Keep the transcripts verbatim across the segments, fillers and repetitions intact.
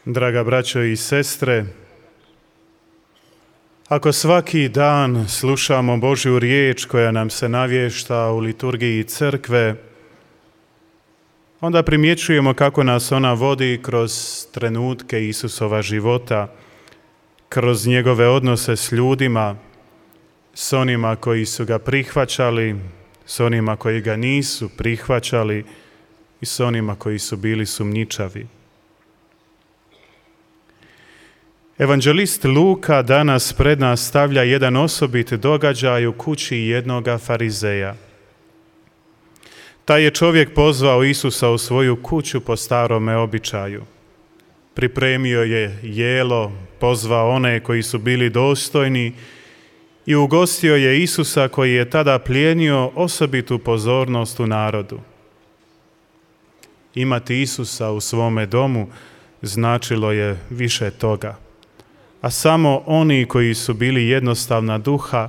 Draga braćo i sestre, ako svaki dan slušamo Božju riječ koja nam se navješta u liturgiji crkve, onda primjećujemo kako nas ona vodi kroz trenutke Isusova života, kroz njegove odnose s ljudima, s onima koji su ga prihvaćali, s onima koji ga nisu prihvaćali i s onima koji su bili sumnjičavi. Evanđelist Luka danas pred nas stavlja jedan osobit događaj u kući jednoga farizeja. Taj je čovjek pozvao Isusa u svoju kuću po starome običaju. Pripremio je jelo, pozvao one koji su bili dostojni i ugostio je Isusa koji je tada plijenio osobitu pozornost u narodu. Imati Isusa u svome domu značilo je više toga, a samo oni koji su bili jednostavna duha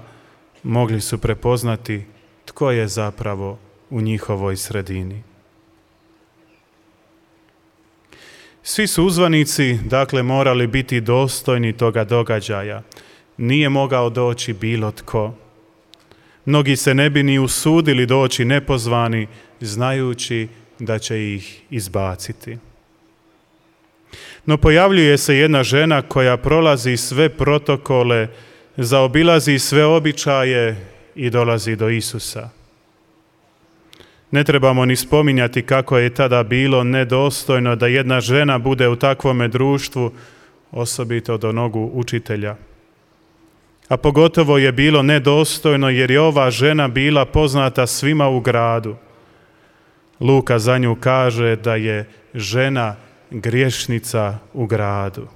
mogli su prepoznati tko je zapravo u njihovoj sredini. Svi su uzvanici, dakle, morali biti dostojni toga događaja. Nije mogao doći bilo tko. Mnogi se ne bi ni usudili doći nepozvani, znajući da će ih izbaciti. No pojavljuje se jedna žena koja prolazi sve protokole, zaobilazi sve običaje i dolazi do Isusa. Ne trebamo ni spominjati kako je tada bilo nedostojno da jedna žena bude u takvome društvu, osobito do nogu učitelja. A pogotovo je bilo nedostojno jer je ova žena bila poznata svima u gradu. Luka za nju kaže da je žena griješnica u gradu.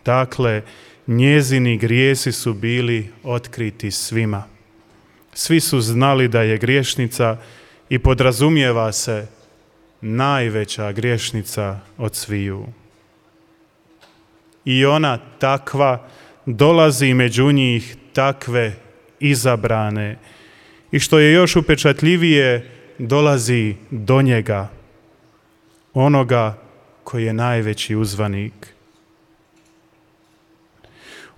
Dakle, njezini grijesi su bili otkriti svima. Svi su znali da je griješnica i podrazumijeva se najveća griješnica od sviju. I ona takva dolazi među njih, takve izabrane, i što je još upečatljivije, dolazi do njega, onoga koji je najveći uzvanik.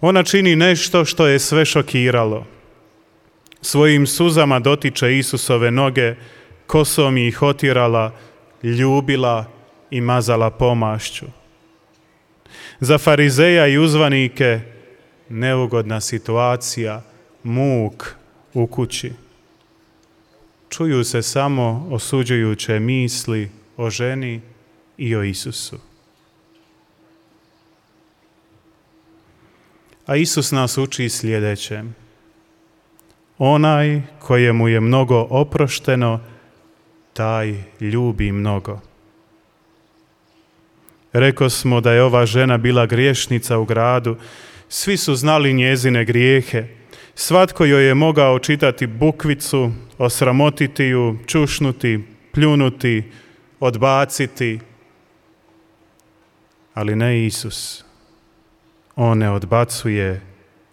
Ona čini nešto što je sve šokiralo. Svojim suzama dotiče Isusove noge, kosom ih otirala, ljubila i mazala pomašću. Za farizeja i uzvanike neugodna situacija, muk u kući. Čuju se samo osuđujuće misli o ženi i o Isusu. A Isus nas uči sljedeće. Onaj kojemu je mnogo oprošteno, taj ljubi mnogo. Rekao smo da je ova žena bila griješnica u gradu. Svi su znali njezine grijehe. Svatko joj je mogao čitati bukvicu, osramotiti ju, čušnuti, pljunuti, odbaciti. Ali ne Isus. On ne odbacuje,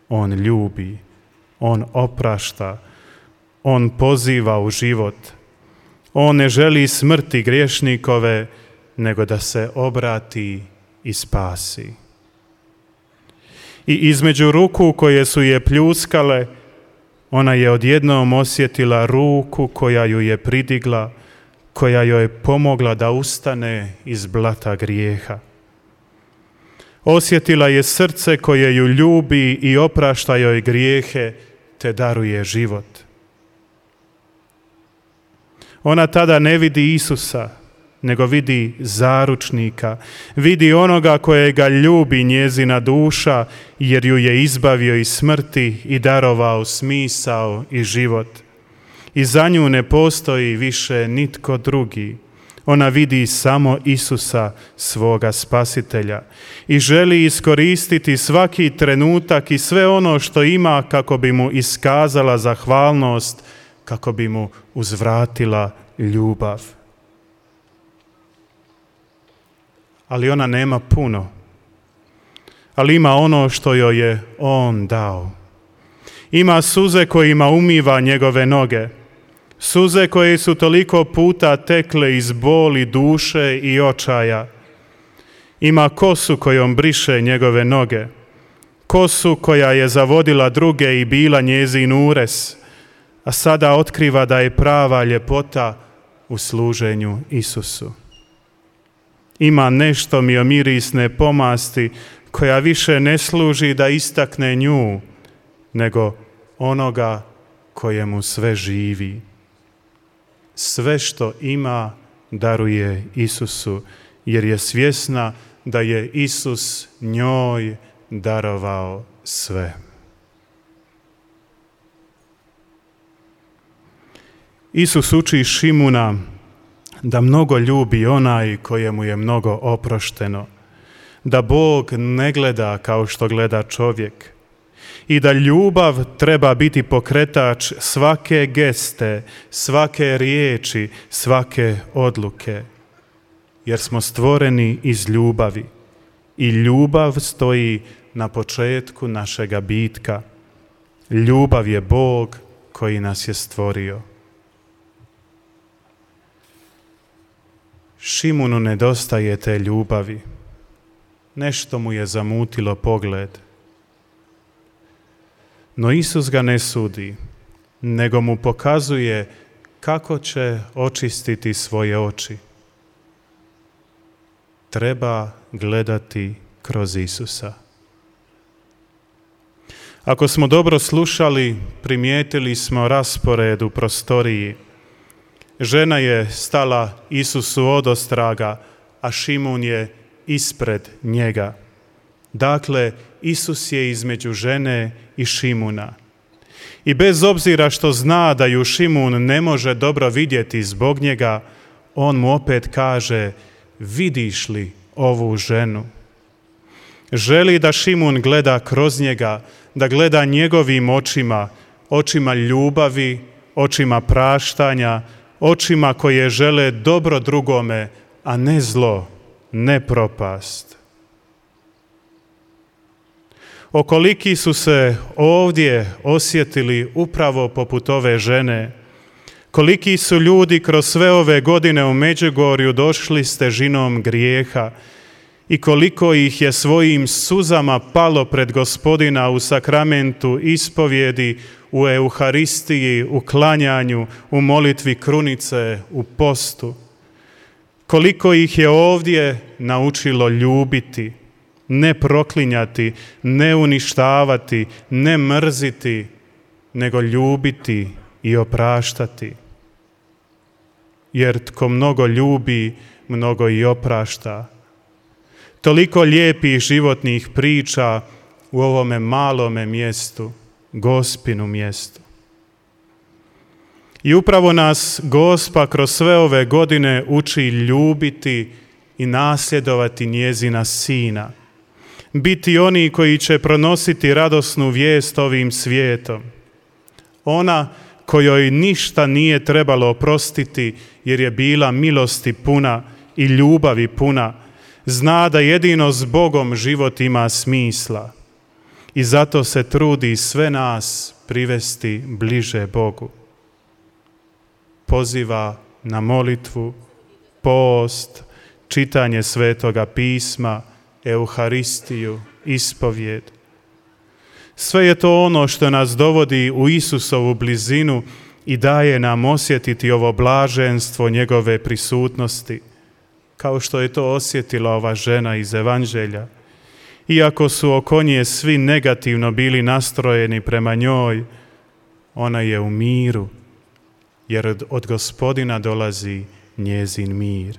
on ljubi, on oprašta, on poziva u život. On ne želi smrti griješnikove, nego da se obrati i spasi. I između ruku koje su je pljuskale, ona je odjednom osjetila ruku koja ju je pridigla, koja joj je pomogla da ustane iz blata grijeha. Osjetila je srce koje ju ljubi i oprašta joj grijehe, te daruje život. Ona tada ne vidi Isusa, nego vidi zaručnika, vidi onoga kojega ljubi njezina duša, jer ju je izbavio iz smrti i darovao smisao i život. I za nju ne postoji više nitko drugi. Ona vidi samo Isusa, svoga spasitelja, i želi iskoristiti svaki trenutak i sve ono što ima kako bi mu iskazala zahvalnost, kako bi mu uzvratila ljubav. Ali ona nema puno, ali ima ono što joj je on dao. Ima suze kojima umiva njegove noge, suze koje su toliko puta tekle iz boli duše i očaja. Ima kosu kojom briše njegove noge, kosu koja je zavodila druge i bila njezin ures, a sada otkriva da je prava ljepota u služenju Isusu. Ima nešto miomirisne pomasti koja više ne služi da istakne nju, nego onoga kojemu sve živi. Sve što ima daruje Isusu, jer je svjesna da je Isus njoj darovao sve. Isus uči Šimuna da mnogo ljubi onaj kojemu je mnogo oprošteno, da Bog ne gleda kao što gleda čovjek i da ljubav treba biti pokretač svake geste, svake riječi, svake odluke, jer smo stvoreni iz ljubavi i ljubav stoji na početku našega bitka. Ljubav je Bog koji nas je stvorio. Šimunu nedostaje te ljubavi. Nešto mu je zamutilo pogled. No Isus ga ne sudi, nego mu pokazuje kako će očistiti svoje oči. Treba gledati kroz Isusa. Ako smo dobro slušali, primijetili smo raspored u prostoriji. Žena je stala Isusu odostraga, a Šimun je ispred njega. Dakle, Isus je između žene i Šimuna. I bez obzira što zna da ju Šimun ne može dobro vidjeti zbog njega, on mu opet kaže: vidiš li ovu ženu? Želi da Šimun gleda kroz njega, da gleda njegovim očima, očima ljubavi, očima praštanja, očima koje žele dobro drugome, a ne zlo, ne propast. Okoliki su se ovdje osjetili upravo poput ove žene. Koliki su ljudi kroz sve ove godine u Međugorju došli s težinom grijeha i koliko ih je svojim suzama palo pred Gospodina u sakramentu ispovjedi, u Euharistiji, u klanjanju, u molitvi krunice, u postu. Koliko ih je ovdje naučilo ljubiti, ne proklinjati, ne uništavati, ne mrziti, nego ljubiti i opraštati. Jer tko mnogo ljubi, mnogo i oprašta. Toliko lijepih životnih priča u ovome malome mjestu, Gospinu mjestu. I upravo nas Gospa kroz sve ove godine uči ljubiti i nasljedovati njezina sina. Biti oni koji će pronositi radosnu vijest ovim svijetom. Ona kojoj ništa nije trebalo oprostiti jer je bila milosti puna i ljubavi puna, zna da jedino s Bogom život ima smisla i zato se trudi sve nas privesti bliže Bogu. Poziva na molitvu, post, čitanje Svetoga pisma, Euharistiju, ispovjed. Sve je to ono što nas dovodi u Isusovu blizinu i daje nam osjetiti ovo blaženstvo njegove prisutnosti, kao što je to osjetila ova žena iz Evanđelja. Iako su oko nje svi negativno bili nastrojeni prema njoj, ona je u miru, jer od Gospodina dolazi njezin mir.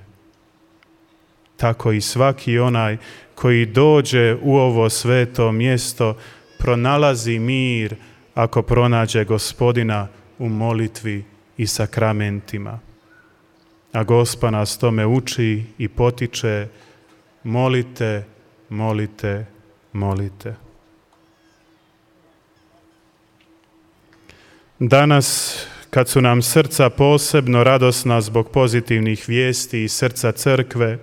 Tako i svaki onaj koji dođe u ovo sveto mjesto pronalazi mir ako pronađe Gospodina u molitvi i sakramentima. A Gospa nas tome uči i potiče: molite, molite, molite. Danas, kad su nam srca posebno radosna zbog pozitivnih vijesti iz srca crkve,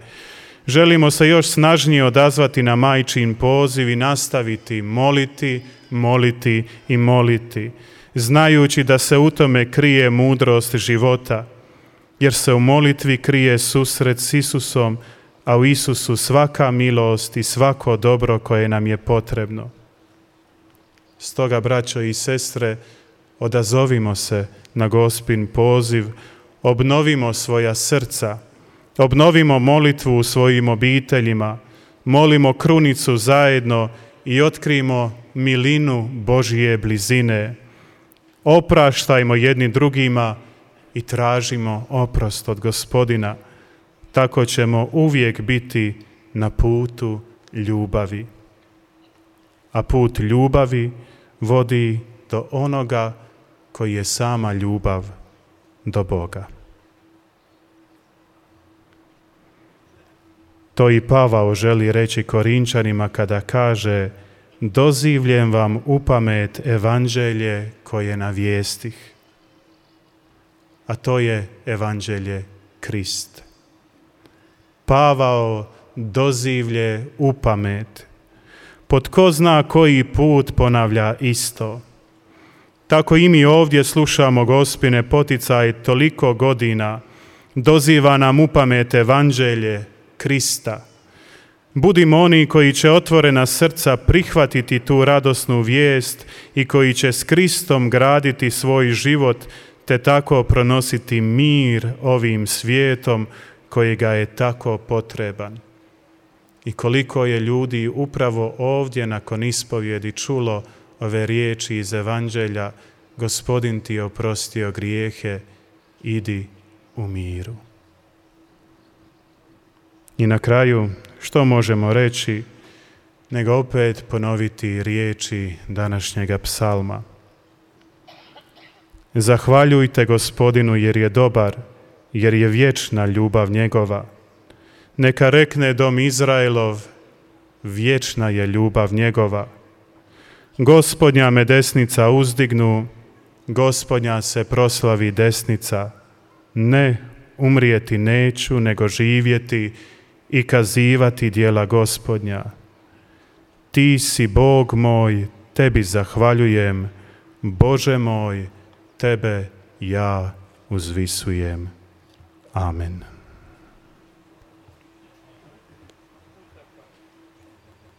želimo se još snažnije odazvati na majčin poziv i nastaviti moliti, moliti i moliti, znajući da se u tome krije mudrost života, jer se u molitvi krije susret s Isusom a u Isusu svaka milost i svako dobro koje nam je potrebno. Stoga, braćo i sestre, odazovimo se na Gospin poziv, obnovimo svoja srca, obnovimo molitvu u svojim obiteljima, molimo krunicu zajedno i otkrijmo milinu Božje blizine. Opraštajmo jedni drugima i tražimo oprost od Gospodina. Tako ćemo uvijek biti na putu ljubavi. A put ljubavi vodi do onoga koji je sama ljubav, do Boga. To i Pavao želi reći Korinčanima kada kaže: dozivljem vam upamet evanđelje koje navijestih. A to je evanđelje Krist. Pavao dozivlje upamet. Po tko zna koji put ponavlja isto. Tako i mi ovdje slušamo Gospine poticaj toliko godina. Doziva nam upamet evanđelje Krista. Budimo oni koji će otvorena srca prihvatiti tu radosnu vijest i koji će s Kristom graditi svoj život te tako pronositi mir ovim svijetom koji ga je tako potreban. I koliko je ljudi upravo ovdje nakon ispovjedi čulo ove riječi iz evanđelja: Gospodin ti je oprostio grijehe, idi u miru. I na kraju, što možemo reći, nego opet ponoviti riječi današnjega psalma. Zahvaljujte Gospodinu jer je dobar, jer je vječna ljubav njegova. Neka rekne dom Izraelov, vječna je ljubav njegova. Gospodnja me desnica uzdignu, Gospodnja se proslavi desnica. Ne, umrijeti neću, nego živjeti i kazivati djela Gospodnja. Ti si Bog moj, tebi zahvaljujem, Bože moj, tebe ja uzvisujem. Amen.